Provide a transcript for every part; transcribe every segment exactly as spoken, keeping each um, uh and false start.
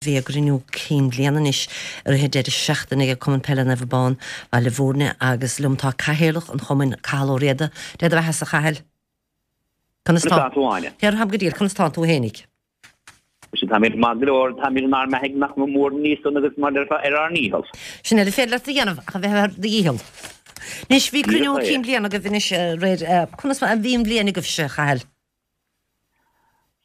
Bhí a gcruinniú cinn bliana anois i rith an deireadh seachtaine ag Cumann Peile Naomh Abán, Baile Bhúirne agus liom tá Cathaoirleach an Chumainn, Cathal Ó Riada. Dé do bheatha a Chathail. Conas tá tú Áine? Táim go diail, conas tá tú fhéinig? Tá mé maith go leor tá mé inár mbeathaigh nach mór níos agus mar ar ár ndícheall. Sin é le féidir leat a dhéanamh ach a bheith ar do dhícheall. Anois bhí cruinniú cinn bliana agaibh anois aréir conas a bhí an bhliain agaibhse, a Chathail?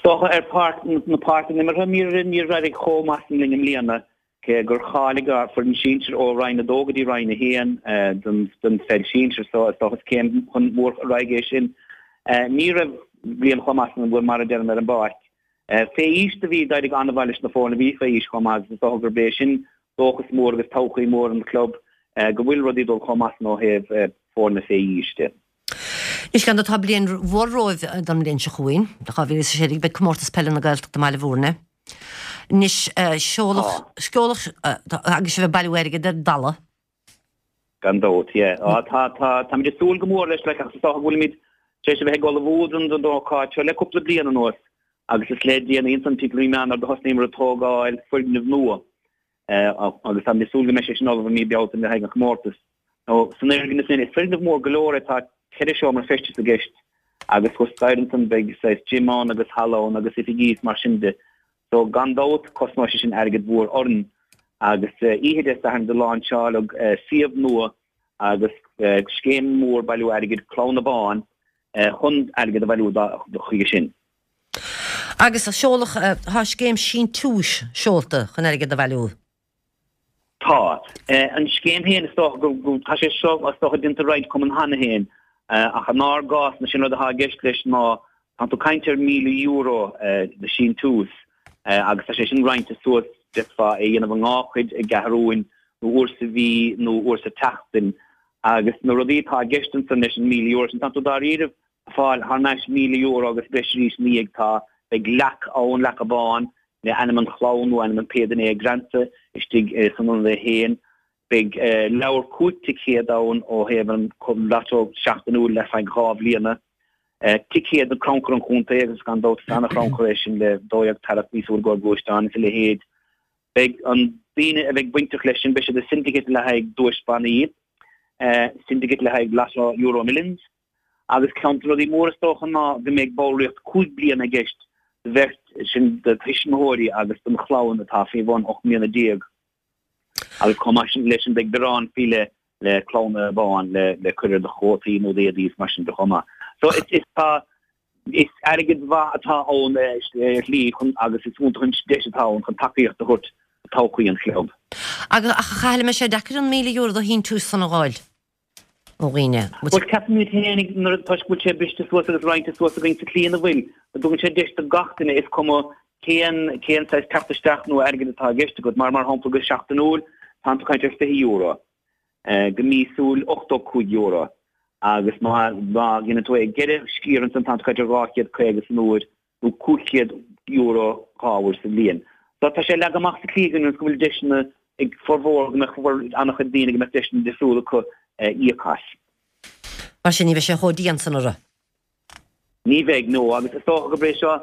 Dócha ar pháirc na páirce imeartha níor níor éirigh chomh maith sin linn i mbliana, cé gur cháiligh ár foireann sinsir ó Roinn a Dó go dtí Roinn a hAon den den pheil sinsir so is dócha is céim chun mór ar aghaidh é sin. Ní raibh bliain chomh maith sin bhuel mar a deirim ar an bpáirc. Fé aois do bhí d'éirigh an-mhaith leis na foirne a bhí fé aois chomh maith agus is dócha gurb é sin dóchas mór agus todhchaí mór an chlub go bhfuil rudaí ag dul chomh maith sin ó thaobh foirne fé aois de. Anois gan dabht tá bliain mhór romhaibh don mbliain seo chugainn, dhá mhíle is a sé déag, beidh Comórtas Peile na Gaeltachta i mBaile Bhúirne. Anois seoladh, seoladh agus sibh ag bailiú airgid ar dalladh. Gan dabht, yeah. Á, tá, tá, táimid ag súil go mór leis, like, ach is dócha go bhfuilimid tar éis a bheith ag ullmhú don, don ócáid seo le cúpla bliain anuas agus is le déanaí ansan timpeall mí Eanáir do thosnaíomar ag tógáil foirgneamh nua agus táimid ag súil go mbeidh sé sin ullamh i mí Bealtaine le haghaidh an chomórtais. Nó san fhoirgneamh sin, is foirgneamh mór go leor é, tá ceithre seomra feistis i gceist agus thuas staighre ansan beidh saghas gym ann agus halla ann agus oifigí is mar sin de. So gan dabht cosnóidh sé sin airgead mhór orainn. Agus oíche Dé Sathairn do láinseáladh suíomh nua agus scéim mhór bailiú airgid, Clann Abán, chun airgead a bhailiú chuige sin. Agus seoladh, tá scéim síntiúis seolta chun airgead a bhailiú. Tá. An scéim féin, is dócha go, tá sé seo is dócha déanta i roinnt cumann cheana féin, ach inár gcás, sé an rud atá i gceist leis ná, tá tú ag caint ar míle euro de síntiús agus tá sé sin roinnte suas, d'fhéadfá é a dhéanamh i ndhá chuid, i gceathrúin nó uair sa mhí nó uair sa tseachtain agus na rudaí atá i gceist ansan leis an míle euro sin, tá tú dáiríribh ag fáil thar n-ais míle euro agus breis arís ina dhiaidh, tá, beidh leac ann, leac Abán, le ainm an chlann nó ainm an pé duine é greanta istigh san ionad é féin. Beidh leabhar cúig ticéad ann ó thaobh an lotto seachtainiúil le feadh dhá bhliana. Ticéad do chrannchur an chontae agus gan dabht is ana-chrannchur é sin le dó dhéag tarrac míosúil i gcomhair gluaisteán is a leithéid. Beidh an daoine a bheidh bainteach leis sin, beidh siad i syndicate le haghaidh duais bannaí, syndicate le haghaidh lotto Euro Millions. Agus ceann de na rudaí móra is dócha ná go mbeidh ballraíocht cúig bliana i gceist do bheirt, sin do thuismitheoirí agus don chlann atá faoi bhun ocht mbliana déag. Agus chomh maith sin leis sin beidh biorán faoi leith le Clann Abán le le cur ar do chótaí nó d'éadaí is mar sin de chomh maith. So is is tá is airgead mhaith atá ann ar shlí chun agus is iontach an deis atá ann chun tacaíocht a thabhairt do todhchaí an chlub. Agus ach a Chathail an mbeidh sé deacair an míle euro de shíntiús san a dh'fháil? ó dhaoine. Bhuel, ceapaimid féin, nuair toisc go bhfuil sé briste suas agus roinnte suas againn sa tslí ina bhfuil, go dtugann sé deis do gach duine, is cuma cén cén saghas teacht isteach nó airgead atá i gceist agat, mar mar shampla go seachtainiúil tá tú ag caint ar fiche euro, go míosúil ochtó cúig euro agus má má dhéanann tú é i gceithre sciar ansan tá tú ag caint ar dhá chéad caoga san uair nó cúig chéad euro dhá uair sa bhliain. So tá sé leagtha amach sa tslí againn go bhfuil deiseanna ag formhór, go mbeadh an-chuid daoine go mbeadh deiseanna difriúla acu íoc as. Mar sin ní bheidh sé chomh dian san orthu. Ní bheidh, no, agus is dócha gurb é seo,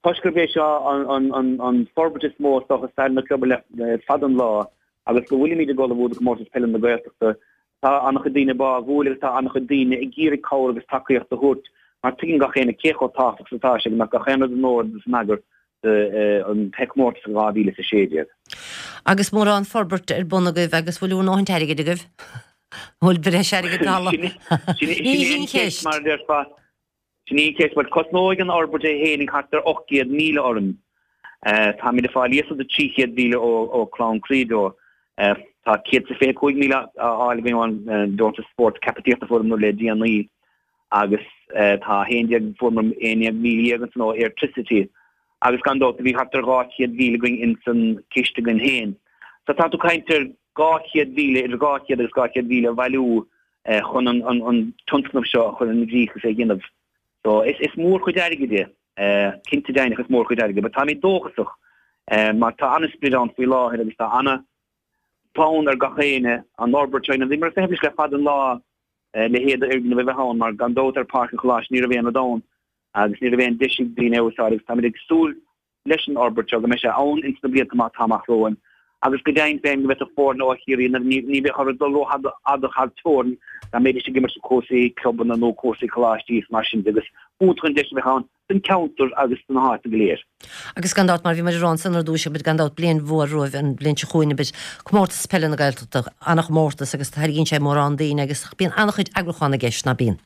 toisc gurb é seo an forbairt is mó is dócha i stair na club le fada an lá agus go bhfuilimid ag ullmhú do Chomórtas Peile na Gaeltachta, tá an-chuid daoine báúil agus tá an-chuid daoine ag iarraidh cabhair agus tacaíocht a thabhairt mar tuigeann gach éinne cé chomh tábhachtach is atá sé go mbeadh gach aon rud in ord agus in eagar don chomórtas in dhá mhíle is a sé déag. Agus mórán forbairt ar bun agaibh agus bhfuil bhur ndóthaint airgid agaibh? Bhfuil breis airgid talamh? Sin í an cheist, mar a déarfá. Sin í an cheist. Bhuel, cosnóidh an fhorbairt é féin thart ar ocht gcéad míle orainn. Táimid ag fáil iasacht de trí chéad mhíle ó Clann Credo. Tá céad is fiche cúig míle á fháil againn ón deontas spóirt caipitíochta a fuaireamar le déanaí. agus tá a haon déag, fuaireamar aon déag míle dhéag ansan ó Airtricity agus gan dabht do bhí thart ar dhá chéad mhíle againn ins an ciste againn féin. So tá tú ag caint ar dhá chéad mhíle, idir dhá chéad agus dhá chéad mhíle a bhailiú chun an an tionscnamh seo a chur i gcrích agus é a dhéanamh. So is is mórchuid airgid é, cinnte deimhneach is mórchuid airgid, but táimid dóchasach mar tá an-sprid ann faoi láthair agus tá ana fonn ar gach éinne an fhorbairt seo a dhéanamh. Bhíomar ag feitheamh leis le fada an lá leithéid d'fhoirgneamh a bheith ann mar gan dabht ar Páirc an Choláiste ní raibh aon rud ann agus ní raibh aon deis ag daoine é a úsáid agus táimid ag súil leis an fhorbairt seo, go mbeidh sé ann ins na blianta atá amach romhainn agus go deimhin féin go bhféadfadh foirne ó Chiarraí, ní bheadh orthu dul rófhada thar teorainn dá mbeidís ag imirt cúrsaí clubanna nó cúrsaí coláistí is mar sin de agus b'iontach an deis a bheadh ann don cheantar agus do na háite go léir. Agus gan dabht, mar bhí muid ag rá ansan ar dtús, beidh gan dabht bliain mhór romhaibh an bhliain seo chugainn, beidh Comórtas Peile na Gaeltachta, an-chomórtas agus tarraingíonn sé mórán daoine agus bíonn an-chuid eagrúchán i gceist, ná bíonn?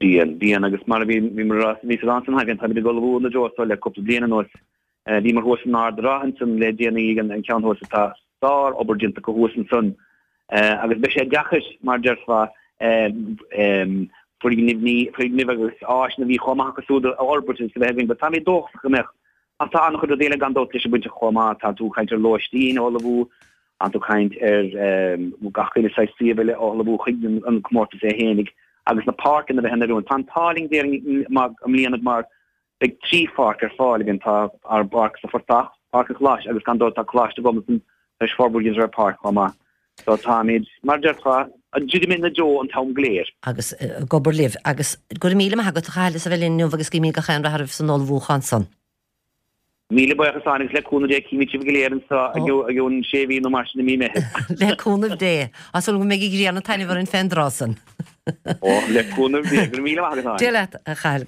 Bíonn, bíonn agus mar a bhí, bhí mar a bhí sa dán san bíonn, táimid ag ullmhú ina dtreo so le cúpla bliain anuas. Bhíomar thuas in Ard an Rátha ansan le déanaí ag an ceann thuas atá sár-obair déanta acu thuas ansan agus beidh sé deacair, mar déarfá, foirgnimh, foirgnimh agus áiseanna a bhí chomh maith acu siúd a fhorbairt agus a bheith againn, but táimid dóchasach go mbeadh. Ach tá an-chuid rudaí eile gan dabht leis an bainteach chomh maith, tá tú ag caint ar lóistín a ullmhú, tá tú ag caint ar gach uile saghas suíomh eile a ullmhú chuig an comórtas é fhéinig agus na páirceanna a bheith in oiriúint. Tá an t-ádh linn déarfainn i mbliana mar beidh trí pháirc ar fáil againn, tá ár bpáirc sa Phortach, Páirc an Choláiste agus gan dabht tá Coláiste Ghobnatan tar éis forbairt ar pháirc chomh maith. So táimid, mar a déarfá, ag druidim ina dtreo an t-am go léir. Agus ag obair libh. Agus go raibh míle maith agat a Chathail as a bheith linn inniu agus guímid gach aon rath oraibh san ullmhúchán san. Míle buíochas Áine agus le cúnamh Dé cífimid sibh go léir anseo i gcionn sé mhí nó mar sin i mí Meithimh. Le cúnamh Dé. Tá súil agam go mbeidh an ghrian ag taitneamh orainn fén dtráth san. Ó, le cúnamh Dé. Go raibh míle maith agat Áine. Dia leat a Chathail.